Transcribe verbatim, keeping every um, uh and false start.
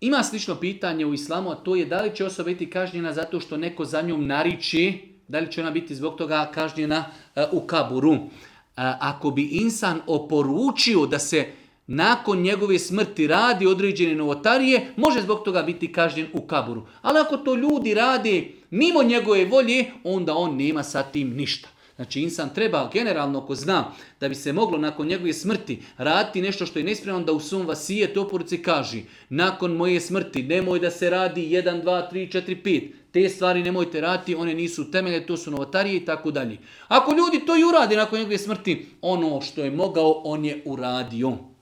Ima slično pitanje u islamu, a to je da li će osoba biti kažnjena zato što neko za njom nariči, da li će ona biti zbog toga kažnjena uh, u kaburu. Uh, ako bi insan oporučio da se nakon njegove smrti radi određene novotarije, može zbog toga biti kažnjen u kaburu. Ali ako to ljudi rade mimo njegove volje, onda on nema sa tim ništa. Znači insan treba generalno, ako zna da bi se moglo nakon njegove smrti raditi nešto što je nespremno, da u svom vasijetu oporuci kaže nakon moje smrti nemoj da se radi jedan, dva, tri, četiri, pet. Te stvari nemojte raditi, one nisu temelje, to su novotarije i tako dalje. Ako ljudi to i uradi nakon njegove smrti, ono što je mogao, on je uradio.